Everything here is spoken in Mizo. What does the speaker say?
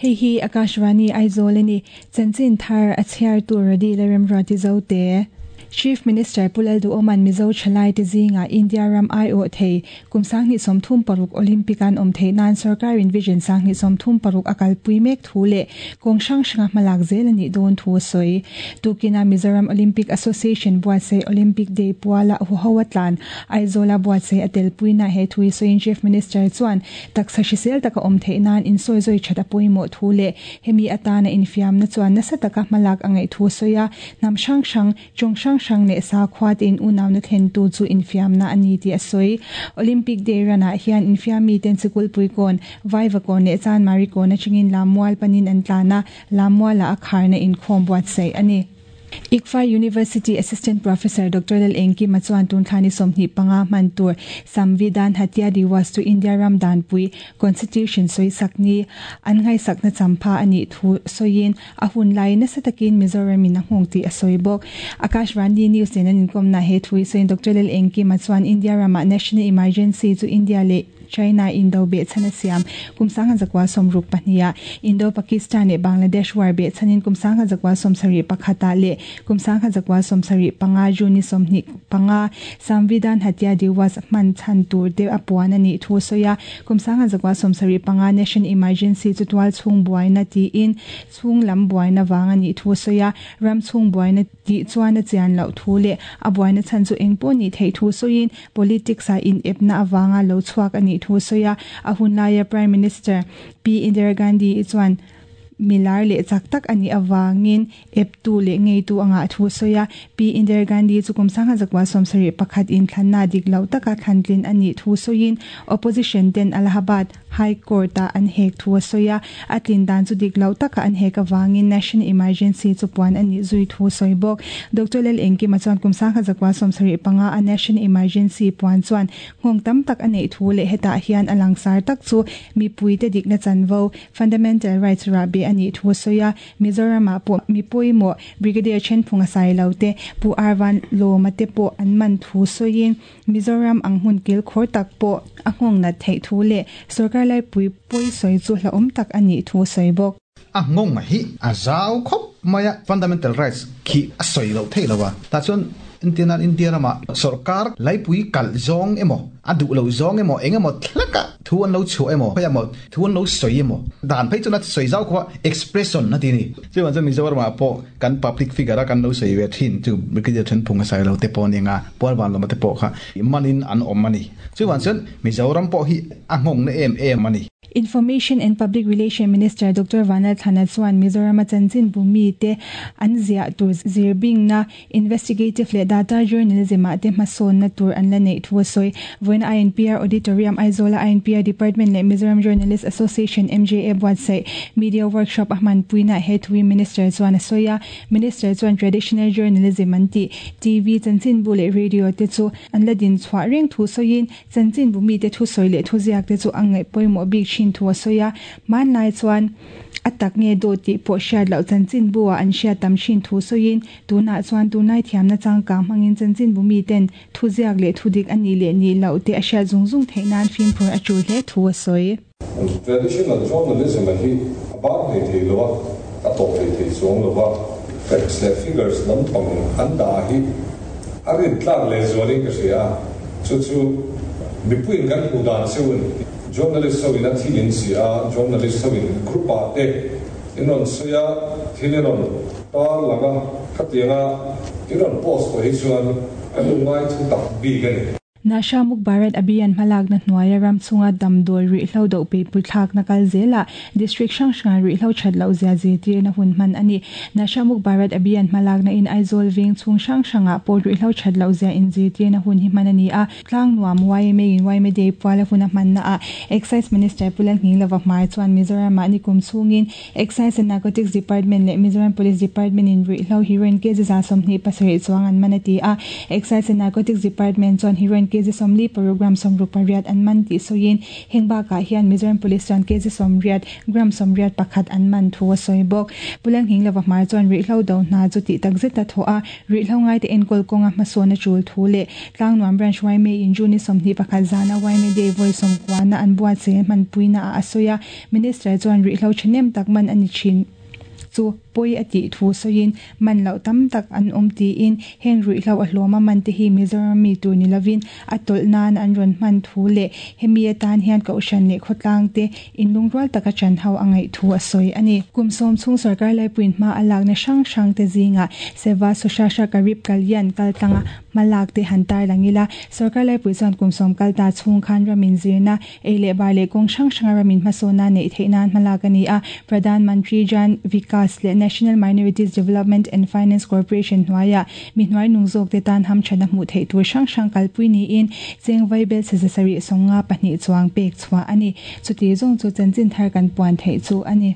Hei hi Akashvani Aizawl a ni. Chanchin thar a chhiartu Radi Lalremruati Zote. Chief Minister Pu Lalduhoma'n Mizo thalaite zingah India ram aiawh thei kum 2036 Olympic an awm theih nan sorkarin Vision 2036 a kalpui mek thu leh kawng hrang hranga hmalak zel a nih dawn thu a sawi. Tukina Mizoram Olympic Association buatsaih Olympic Day puala huho a tlan Aizawla buatsaih a telpuina he thu hi sawiin Chief Minister chuan Taksa hrisel taka awm theih nan insawizawi that a pawimawh thu leh hemi atana infiamna chuan nasa taka hmalak a ngaih thu a sawi a, hnam hrang hrang, tawng hrang hrang leh sakhua te in unauna thlentu chu infiamna a ni tih a sawi. Olympic Day run-ah hian infiammi ten Sikulpui kawn, Vaivakawn leh Chanmari kawn atangin Lammual panin an tlan a, Lammualah a kharna inkhawm buatsaih a ni. ICFAI University Assistant Professor Doctor Lal Engkima chuan tun thla ni 25 hman tur Samvidhan Hatya Diwas chu India ram danpui, Constitution, sawisak ni an ngaihsakna champha a nih thu sawiin a hun lai nasa takin Mizoram in a nghawng tih a sawi bawk. Akashvani News nen an inkawmna he thu hi sawiin Doctor Lal Engkima chuan India ramah National Emergency chu India leh China Indo behchhan a siam kum 1962 ah Indo-Pakistan leh Bangladesh war behchhanin kum 1971 ah leh kum 1975 June ni 25 Samvidhan Hatya Diwas hman chhan tur te a puan a nih thu a sawi a. Kum 1975 Nation Emergency chu tual chhung buaina tiin chhung lam buaina vang a nih thu a sawi a. Ram chhung buaina tih chuan a chian loh thu leh a buaina chhan chu eng pawh nih theih thu sawiin Politics-ah inepna avanga lo chhuak a nih thu a sawi a, a hun laia Prime Minister Pi Indira Gandhi-i chuan milar leh chak tak a nih avangin eptu leh ngeitu a ngah thu a sawi a. Pi Indira Gandhi chu kum 1971 inthlanna dik loh taka thlantlin a nih thu sawiin opposition ten Allahabad High Court-ah an hek thu a sawi a, a tlin dan chu dik loh taka an hek avangin National Emergency chu puan a nih zui thu a sawi bawk. Doctor Lal Engkima chuan kum 1975 a National Emergency puan chuan nghawng tam tak a neih thu leh hetah hian a langsar tak chu mipuite dikna chanvo, fundamental rights, rahbeh a nih thu a sawi a, Mizoramah pawh mi pawimawh Brigadier Thenphunga Sailo te, Pu Arvan Lawma te pawh an man thu sawiin, Mizoram ang hmun kil khawr tak pawh a nghawng nat theih thu leh sorkar laipui pawi sawi chu hlauhawm tak a nih thu a sawi bawk. A nghawng hi a zau khawp mai a, fundamental rights khi a sawi loh theih lo a, tah chuan entirnan India ramah sorkar laipui kalh zawng emaw, a duh loh zawng emaw, eng emaw thleka thu an lo chhuah emaw, khawiah emaw thu an lo sawi emaw, dan phei chuan a sawi zau khawp a, expression a ti a ni. Chuvang chuan Mizoramah pawh kan public figure a kan lo sawi ve thin chu Brigadier Thenphung a sawi lo te pawh a ni ang a, Pualvanlawma te pawh kha manin an awm a ni. Chuvang chuan Mizoram pawh hi a nghawng na em em a ni. Information and Public Relation Minister Doctor Vanal Thana chuan Mizorama chanchinbu mite an ziah tur zirbingna, Investigative leh data journalism ah te hmasawnna tur an la neih thu a sawi. Vawiin INPR Auditorium, Aizawl-a INPR Department leh Mizoram Journalist Association, MJA, buatsaih Media Workshop a hmanpuinaah he thuin Minister chuan a sawi a. Minister chuan traditional journalism an tih TV, chanchinbu leh radio te chu an la din chhuah reng thu sawiin chanchinbu mite thusawi leh thuziak te chu a ngaih pawimawh bik thin thu a sawi a. Hmanlai chuan a tak nge dawt tih pawh hriat loh chanchinbu ah an hriat tam thin thu sawiin Tunah chuan tunlai thiamna changkang hmangin chanchinbu miten thuziak leh thudik a nih leh nih loh te a hriat zung zung theih nan fimkhur a tul hle thu a sawi. Traditional journalism a hi a bang hlei thei lo a, a tawp hlei thei chuang lo a, facts leh figures lampang an dah hi a rintlak lehzualin ka hria a, chu chu mipuiin kan hmuh dan cheu a ni. Journalist ho in a thil in ziah a, journalist ho in group ah te in rawn sawi a, thil in rawn tar lang a, khatianga in rawn post tawh hi chuan kan lo ngai thu tak bik a ni. Nasha Muk Bharat Abhiyan hmalakna hnuaia ram chhunga damdawi ruihhlo doh peipui thlakna kal zelah District hrang hranga ruihhlo that loh zia zirtirna hun hman a ni. Nasha Muk Bharat Abhiyan hmalakna in Aizawl veng chhung hrang hrangah pawh ruihhlo that loh zia inzirtirna hun hi hman a ni a. Tlangnuam yma in yma Day puala hun a hmannaah Excise Minister Pu Lalnghinglova Hmar chuan Mizoramah nikum chhungin Excise and Narcotics Department leh Mizoram Police Department in ruihhlo heroin kg 27 chuang an man a ti a. Excise and Narcotics Department chuan heroin. kg 46 gram 68 an man tih sawiin heng bakah hian Mizoram Police chuan kg 80 gram 81 an man thu a sawi bawk. Pu Lalnghinglova hmar chuan ruihhlo do hna chu tih takzet a thawh a, ruihhlo ngaite enkawl kawnga hmasawn a tul thu leh Tlangnuam Branch yma in June 21 zana yma Day vawi sawmkuana an buatsaih hmanpuina ah a sawi a, Minister chuan ruihhlo thahnem tak man a ni thin chu pawi a tih thu sawiin man loh tam tak an awm tiin heng ruihhlo a hlawm a man te hi Mizoram mi tur ni lovin a tawlh nan an rawn hman thu leh hemi atan hian Kohhran leh khawtlang te inlungrual taka chan ho a ngaih thu a sawi a ni. Kum sawm chhung sorkar laipuiin hma a lakna hrang hrang te zingah Seva Sushrasha Garib Kalyan kaltlanga hmalak te han tarlang ila, sorkar laipui chuan kum sawm kal ta chhung khan ramin zirna, ei leh bar leh kawng hrang hranga ramin hmasawnna neih theih nan hmalak a ni a, Pradhan Mantri Jan Vikas leh National Minorities Development and Finance Corporation hnuaiah mi hnuai nung zawk te tan hamthatna hmuh theih tur hrang hrang kalpui niin cheng vaibel chhe 752 chuang pek chhuah a ni. Chuti zawng chu chanchin thar kan puan theih chu a ni.